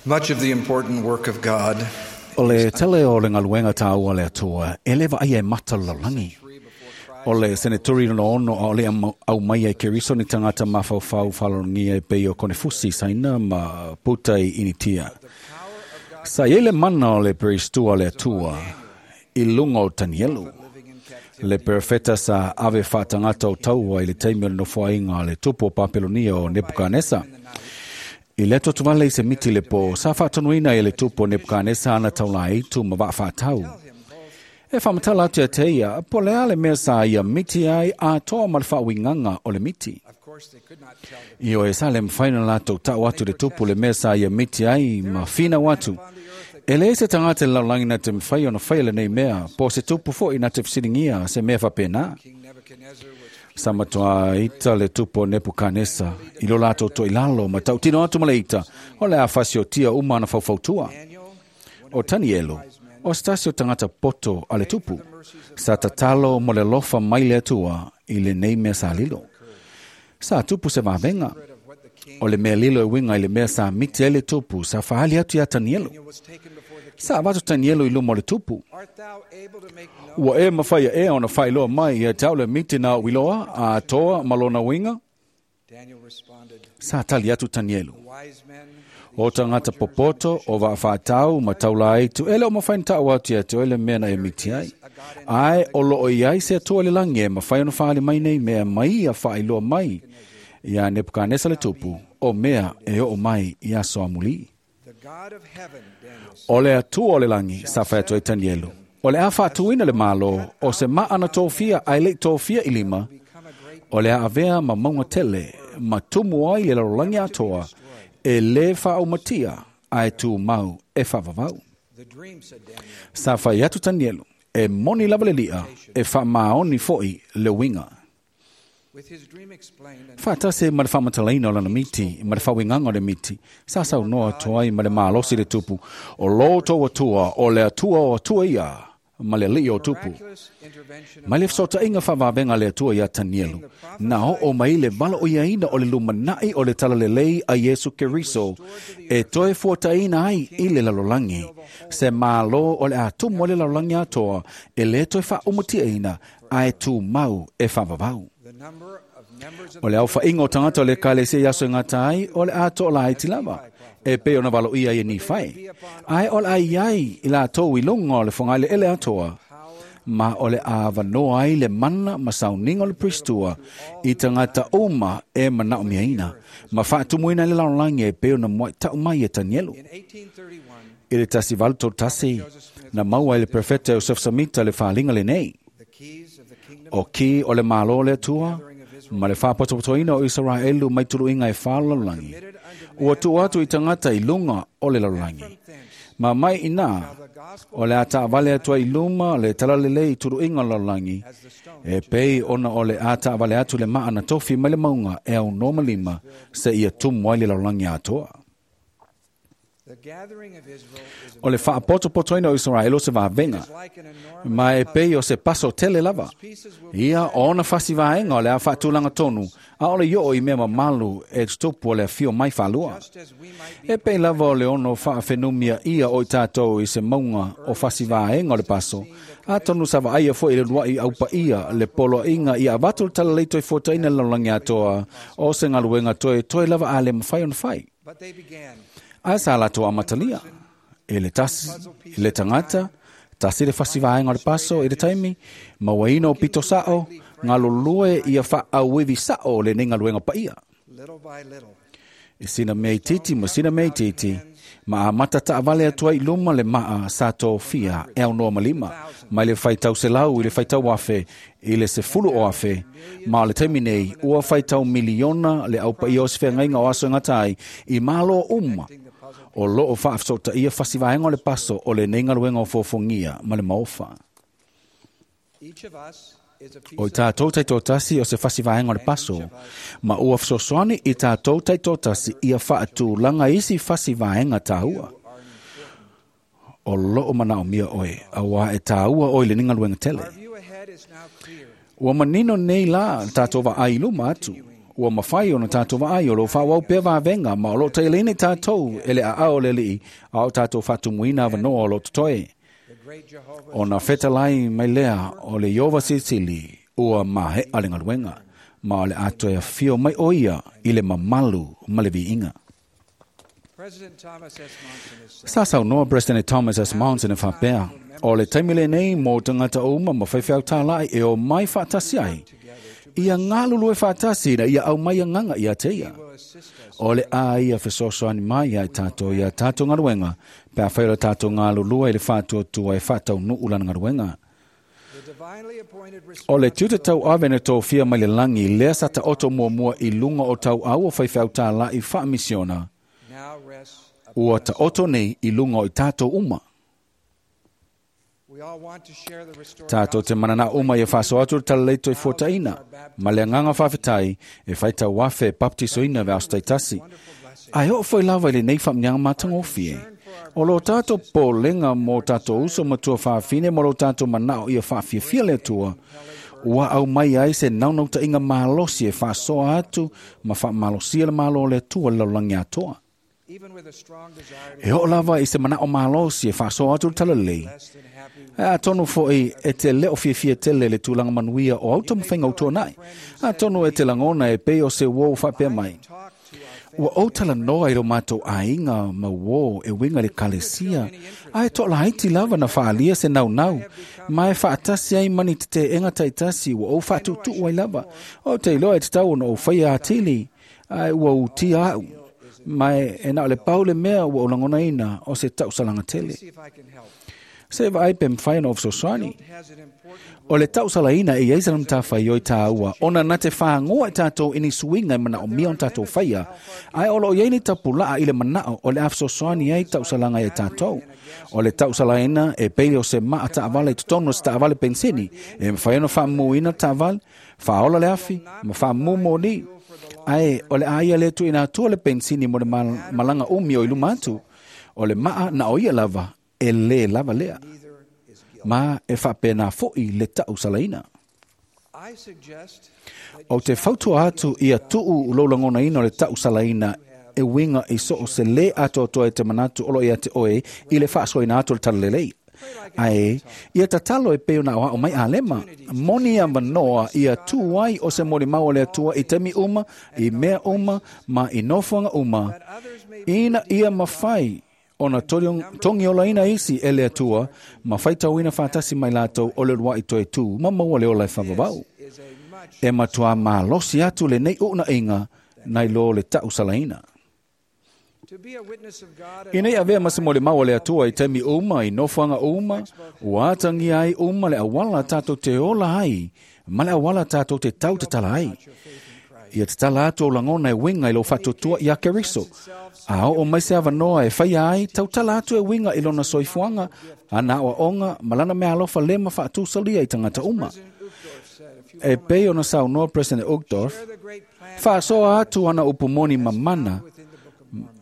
Much of the important work of God O le tele o le galuega tāua le Atua, e le vaaia e mata o le lalolagi. O le seneturi lona ono a o le au mai ai Keriso ni tagata mafaufau faalalogia e pei o Konefusi Saina ma Puta i Initia. Sa i ai le mana o le peristua le Atua i luga o Tanielu, le perofeta sa ave faatagata o taua i le taimi o le nofoaiga a le tupu o Papelonia o Nepukanesa. I le atoatovale i se miti le pō, sa faatonuina e le tupu o Nepukanesa ana taulaitu ma vaa faatau. E faamatala atu ia te ia, po le a le mea sa ia miti ai atoa ma le faauigaga o le miti. Ioe sa le mafai ona latou ta'u atu le tupu le mea sa ia miti ai ma finau atu. E leai se tagata i le lalolagi na te mafai ona faia lenei mea, po o se tupu fo'i na te fesiligia se mea faapena. Sa matuā ita le tupu o Nepukanesa i lo latou to'ilalo ma ta'utino atu ma le ita, o le a fasiotia uma ana faufautua. O Tanielu, o se tasi o tagata poto a le tupu, sa tatalo mo le alofa mai le Atua i lenei mea sa lilo. Sa tupu se vavega. O le mea lilo e uiga i le mea sa miti ai le tupu sa faali atu iā Tanielu. Sa avatu Tanielu i luma o le tupu. Ua e mafai ea ona faailoa mai ia te au le miti na ou iloa, atoa ma lona uiga? Sa tali atu Tanielu. O tagata popoto, o vaafaatau ma taulaaitu, e le o mafai ona ta'u atu ia te oe le mea na e miti ai. Ae o loo i ai se Atua i le lagi e mafai ona faali mai nei mea mai ia faailoa mai iā Nepukanesa le tupu o mea e oo mai i aso amulī. O le Atua o le lagi, sa fai atu ai Tanielu, o le a faatuina le Malo o se maa na tofia ae le'i tofia i lima, o le a avea ma mauga tele ma tumu ai le lalolagi atoa, e lē faaumatia ae tumau e faavavau. Sa fai atu Tanielu, e moni lava le li'a, e faamaoni fo'i le uiga. Faatasi ai ma le faamatalaina o lana miti ma le faauigaga o le miti, sa saunoa atu ai ma le malosi le tupu, o lo outou Atua, o le Atua o Atua ia, ma le Alii o tupu. Mai le fesootaiga faavavega a le Atua iā Tanielu, na oo mai le valaoiaina o le lumana'i o le talalelei a Iesu Keriso e toe fuataina ai i le lalolagi, se Mālō o le a tumu ai le lalolagi atoa e lē toe faaumatiaina ae tumau e faavavau. O le aofa'iga o tagata o le Ekalesia i aso e gata ai, o le a to'alaiti lava, e pei ona valoia i e Nifai. Ae o le a i ai i latou i luga o le fogaeleele atoa, ma o le a avanoa ai le mana ma sauniga o le peristua i tagata uma e manaomiaina, ma faatumuina ai le lalolagi e pei ona mua'i ta'u mai e Tanielu. I le 1831, na maua ai le perofeta Iosefa Samita le faaliga lenei. O ki o le Mālō o le Atua, ma le faapotopotoina o Isaraelu mai tuluiga e fā o le lalolagi, ua tuu atu i tagata i luga o le lalolagi. Ma mai i inā, o le a taavale atu ai i luma le talalelei i tuluiga o le lalolagi, e pei ona o le a taavale atu le maa na tofi mai le mauga e aunoa ma lima seia tumu ai le lalolagi atoa. O le faapotopotoina o Isaraelu o se vavega, ma e pei o se paso tele lava. Ia o ona fasi vaega o le a faatulaga tonu, a o le i oo i mea mamalu e tutupu o le afio mai faalua. E pei lava o le ono faafenumia ia o i tatou i se mauga o fasi vaega o le paso, atonu sa vaaia fo'i le ulua'i aupaia le poloaiga ia avatu le talalelei toe fuataina le lalolagi atoa o se galuega toe toe lava a le mafai ona fai. Ae sa latou amatalia. E le tasi, le tagata, tasi le fasi vaega o le paso i le taimi, mauaina o pito sa'o, galulue ia faaauivi sa'o lenei galuega paia. I sina mea itiiti ma sina mea itiiti, ma amata taavale atu ai i luma le maa sa tofia e aunoa ma lima, mai le faitau selau i le faitau afe i le sefulu o afe, ma o le taimi nei ua faitau miliona le aupaia o se feagaiga o aso e gata ai i Mālō uma o loo faafesootaia fasi vaega o le paso o lenei galuega o fofogia ma le maofa. O i tatou taitoatasi o se fasi vaega o le paso, ma ua fesoasoani i tatou taitoatasi ia faatulaga isi fasi vaega tāua. O loo manaomia oe, auā e tāua oe i lenei galuega tele. Ua manino nei la tatou vaai i luma atu. Ua mafai ona tātou vaai o lo whaawau pea vāvenga ma o lo tailene tātou e le a o le lii a o tātou whatumuina awanoa o lo totoe. O na whetalai mai lea o le Iova Sisili ua mahe a le ngaluenga ma o le atoe a fio mai o ia i le mamalu ma le viinga. Sa saunoa President Thomas S. Monson e whapea, o le taimile nei mō tangata uma ma whaiwhiau tālai e o mai whaatasi ai. Ia ngalulu e whaatasi na ia au mai nganga ia te ia. O le a ia fesoasoani mai ai tātou ia tātou ngaruenga, pea whaira tātou ngalulua i le whātua e whātau nu'u lana ngaruenga. O le tiute tau ave na tō fia mai le langi, lea sa ta oto mua mua i lunga o tau au o whaiwhiau tālai whaamisiona. Ua ta oto nei i lunga o i tātou uma. Tātou te manana uma i e whaso atu talaleito i fuataina. Ma le nganga whawhetai e whaita wafe baptisoina ve aostaitasi. Ai o foi lava i le nei whamnyanga matangofie. O lo tātou pōlenga mō tātou uso matua whawhine mō lo tātou manao i a whawhiawhia le atua. Ua au mai ai se naunauta inga malosi e whasoa atu ma whamalosia le malo le atua le laulangi atoa. E o lava i se manao malosi e whasoa atu le talalei. A tonu foi e te leo fiafia tele le tūlanga manuia o auto mwhenga utua nai. A tonu e te langona e pei o se wō whapea mai. Ua o tala noa i ro mātou ainga ma wō e winga le kalesia. A e toa laiti lava na whaalia se nau nau. Ma e whaatasi ai mani te te enga taitasi ua o whaatutu ai lava. O te iloa e te tau ona o whaia atili. A ua utia au. Ma e na o le pau le mea ua o langona ina o se tau salanga tele. Se vai pe mwhai na ofsosani. O le tausalaina e iaisa na mtawhai oi tāua. Ona na te whaangoa e tātou ini suinga e mana o mia on tātou whaia. Ai olo o iaini tapulaa i le manao o le afsosani ai tausalanga e tātou. O le tausalaina e peile o se maa taavale i totono se taavale penseni. E mwhai ono whaamuina taavale, whaola le afi, ma whaamumo ni. Ai o le aia le tu ina atua le pensini mo le malanga umi o iluma atu. O le maa na o ia lava e le lava lea. Ma e whapena foi le tausalaina. O te fautua atu ia tuu lolangona ina o le tausalaina e winga i so o se le atoatoa e te manatu olo ia te oe i le whaasoina atu le talalelei. Ae, ia tatalo e peo na oa o mai alema, moni a manoa ia tū ai o se mori mau le atua i temi uma, i mea uma, ma i nofoanga uma, ina ia mawhai ona tongi ola ina isi e le atua, ma whaitauina whātasi mai lātou o le rua i toe tū, ma maua le ola e whavavau. E matua malosi atu le nei una inga, nai lo le tausalaina. Ina ia vea mase mo le maua le atua i temi uma, i nofoanga uma, ua atangi ai uma le awala tātou te ola ai, ma le awala tātou te tau te tala ai. Ia te tala atu o langona e winga i lo whatutua i a Keriso. A o mai se awanoa e whaia ai, tau tala atu e winga i lona soifuanga, a na oa onga, malana mea alofa lema whaatusalia i tangata uma. E pei ona saunoa President Uchtdorf, whaasoa atu ana upumoni mamana,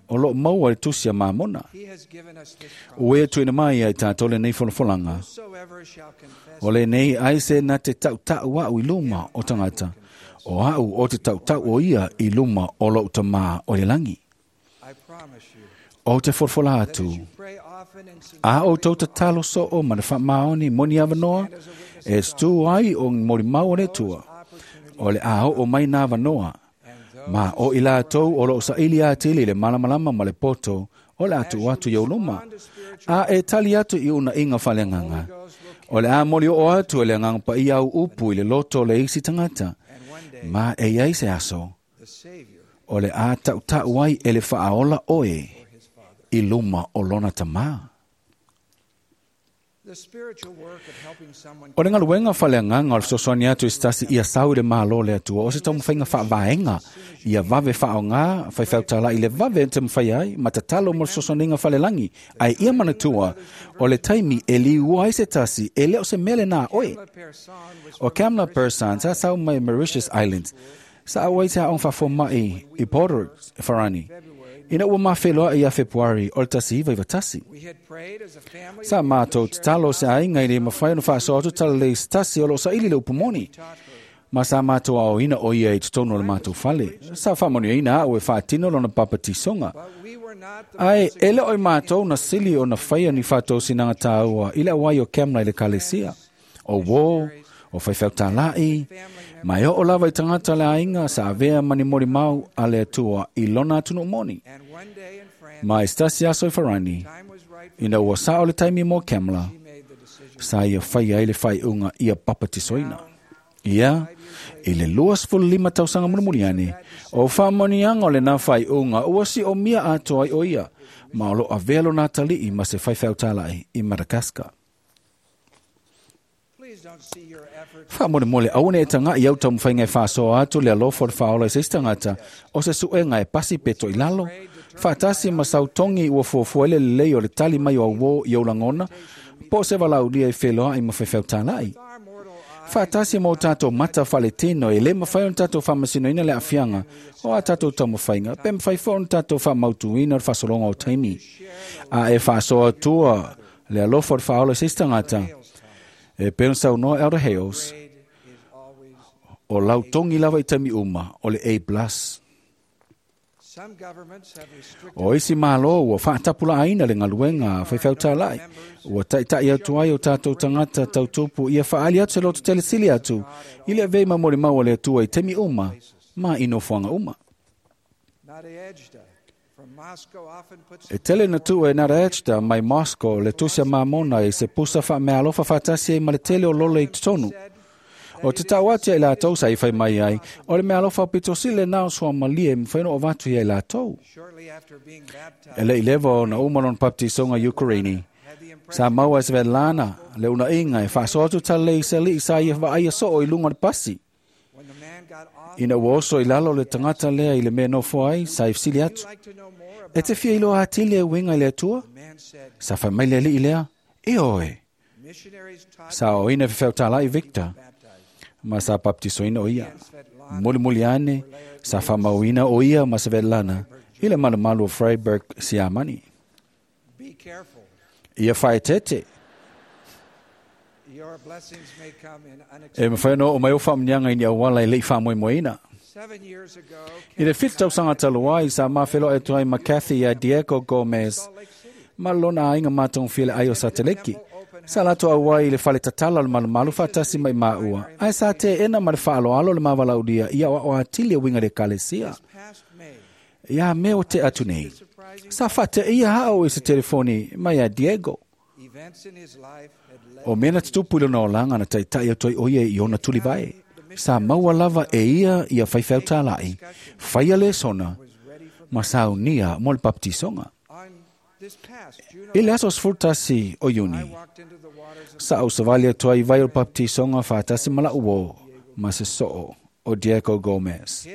o lo maua le tusi a mamona. Ue tuina mai ai tātou le nei folafolanga. O le nei ai se na te tautau au i luma o tangata. O au o te tautau o ia i luma o lo tamā o le langi. O te folafola atu. A o tau tatalo so o mana whaamaoni moni awanoa, e stu ai o mori mau o le tua. O le a o mai nā wanoa. Ma o i lātou o lo saili atili le malamalama ma le poto o le atu atu i uluma. A e tali atu i una inga whalenganga. O le a moli o atu e le nganga pa i au upu i le loto le isi tangata. Ma e iai se aso. O le a tautau ai e le whaaola oe i luma o lona tamā. O le ngaluenga whaleanganga o le fesoasoani atu i stasi ia sau i le malo le atua o se taumawhainga whaavaenga ia vave whaonga whaiwhautala i le vave te mwhai ai ma tatalo mo le fesoasoaninga whalelangi ai ia manatua o le taimi e liua ai se tasi e leo se mele nā oe. O Kamla Persan sa sau mai Mauritius Islands sa awai te aong whafomai i Porto Farani. Ina ua mawheloa i a Februari o le tasi iwa iwa tasi. Sa mātou tatalo se ainga i le mawhai ono whaasoa atu tala le tasi o lo sa ili le upumoni. Ma sa mātou aoina o ia i totonu o le mātou fale. Sa faamanuiaina a'u e faatino lona papatisoga. Ae e le o i mātou na sili o na faia ni faatosinaga tāua i le auai o Kamla i le kalesia. O uō, o faifeau-tāla'i, ma e oo lava i tagata le aiga sa avea ma ni molimau a le Atua i lona atunuu moni. Ma i se tasi aso i Farani, ina ua sa'o le taimi mo Kamla, sa ia faia ai le faaiuga ia papatisoina. Ia, i le 25 tausaga mulimuli ane, o faamanuiaga o lenā faaiuga ua si'omia atoa ai o ia, ma o lo'o avea lona atalii ma se faifeau-tāla'i i Madagascar. Faamolemole aua ne e taga'i au taumafaiga e faasoa atu le alofa o le faaola i se isi tagata o se suega e pasi pe toilalo, faatasi ma sautogi ua fuafua ai le lelei o le tali mai o auō i ou lagona, po o se valaaulia e feloa'i ma faifeau-tāla'i. Faatasi ma o tatou mata faaletino e lē mafai ona tatou faamasinoina le aafiaga o a tatou taumafaiga, pe mafai foi ona tatou faamautuina o le faasologa o taimi. A e faasoa atua le alofa o le faaola i se isi tagata, e pei ona saunoa Elder Hales, o lau togi lava i taimi uma o le A+. O isi Malo ua faatapulaaina le galuega a faifeau-tāla'i, ua taʻitaʻi atu ai o tatou tagata tautupu ia faaali atu se loto tele sili atu i le avea i ma molimau a le Atua i taimi uma ma i nofoaga uma. E tele na tuu e Nadezhda mai Moscow le tusi a Mamona i se pusa faameaalofa faatasi ai ma le tele o lole i totonu. O te tau atu ia i latou sa i fai mai ai, o le meaalofa aupito sili lenā o suamalie e mafai ona ou avatu ia i latou. E leʻi leva ona uma lona baptisoga i Ukraini, sa maua e Svetlana le unaʻiga e faasoa atu talalei i se alii sa ia vaaia soo i luga o le pasi. Ina ua oso i lalo le tagata lea i le mea nofo ai, sa i fesili atu, E te fia iloa atili e uiga i le Atua? Sa fai mai le alii lea, Ioe. Sa aoaoina e faifeau-tāla'i Victor, ma sa baptisoina o ia. Mulimuli ane, sa faamauina o ia ma Svetlana i le malumalu o Freiburg, Siamani. Ia faaeteete. E mafai ona oo mai ou faamanuiaga i ni auala e le i faamoemoeina. I le 7 tausaga talu ai, sa mafeloai atu ai ma Kathy iā Diego Gomez ma lona aiga matagofie le ai o Sateleki. Sa latou auai i le fale tatala o le malumalu faatasi mai maua, ae sa teena ma le faaaloalo le mavalaulia i aoao atili e uiga i le ekalesia. Iā mea o te atu nei, sa faateia a'u i se telefoni mai iā Diego. O mea na tutupu i lona olaga na taitaʻi atu ai ʻo ia i ona tulivae. Sa maua lava e ia ia faifeau-tālaʻi, faia lesona, ma saunia mo le baptisoga. I le aso 11 o Iuni, sa ou savali atu ai i vai o le baptisoga faatasi ma la'u uō ma se soo o Diego Gomez.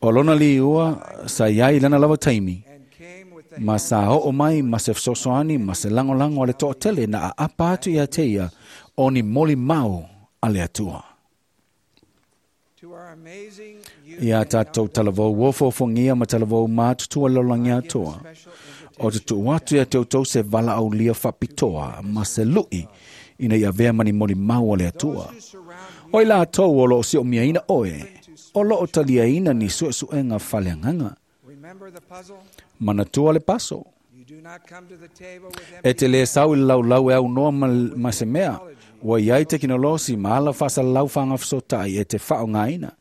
O lona liua sa i ai i lana lava taimi, ma sa oo mai ma se fesoasoani ma se lagolago a le toatele na aapa atu iā te ia o ni molimau a le Atua. Iā tatou talavou ofofogia ma talavou matutua i le lalolagi atoa, o te tuu atu iā te outou se valaaulia faapitoa ma se luʻi ina ia avea ma ni molimau a le Atua. O i latou o loo siʻomiaina oe, o loo taliaina ni suesuega faaleagaga. Manatua le paso. E te lē sau i le laulau e aunoa ma se mea, ua i ai tekinolosi ma ala faasalalau faagafesootai e te faaaogaina.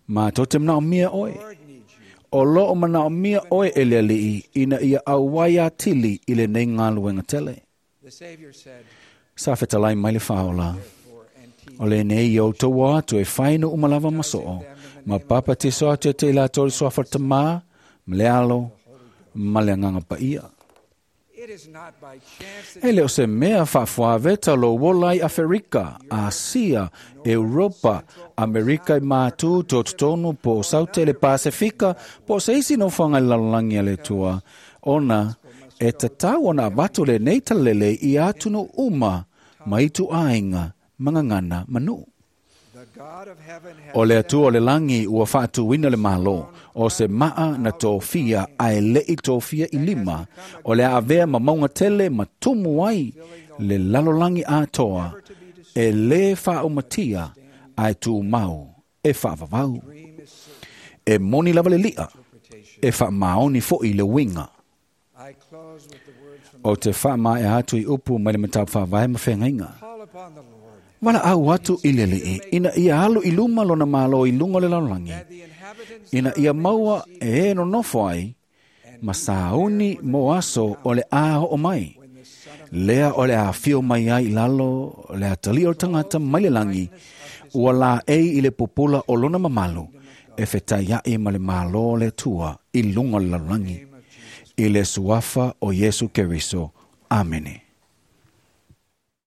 Matou te manaomia oe. O loo manaomia oe e le Alii ina ia auai atili i lenei galuega tele. Sa fetalai mai le Faaola, O lenei ia outou o atu e fai nuu uma lava ma soo, ma papatiso atu ia te i latou i le suafa o le Tamā, ma le Alo, ma le Agaga Paia. E le o se mea faafuaveta lou ola ai Aferika, Asia, Europa, Amerika i Matū, Tototonu, po o Saute le Pasefika, po o se isi nofoaga i le lalolagi a le Atua, ona e tatau ona avatu lenei talalelei i atunuu uma ma ituaiga ma gagana ma nuu. O le Atua o le lagi ua faatuina le Malo, o se maa na tofia ae leʻi tofia i lima, o le a avea ma mauga tele ma tumu ai le lalolagi atoa E lē faaumatia ae tumau e faavavau. E moni lava le li'a, e faamaoni fo'i le uiga. O te faamaea atu i upu mai le mataupu faavae ma feagaiga. Valaau atu i le Alii ina ia alu i luma lona malo i luga o le lalolagi, ina ia maua e e nonofo ai ma sauni mo aso o le a oo mai. Lea o le afio mai ai i lalo le atalii o le tagata mai le lagi, ua laei i le pupula o lona mamalu, e fetaiaʻi ma le Malo o le Atua i luga o le lalolagi. I le suafa o Iesu Keriso. Amene.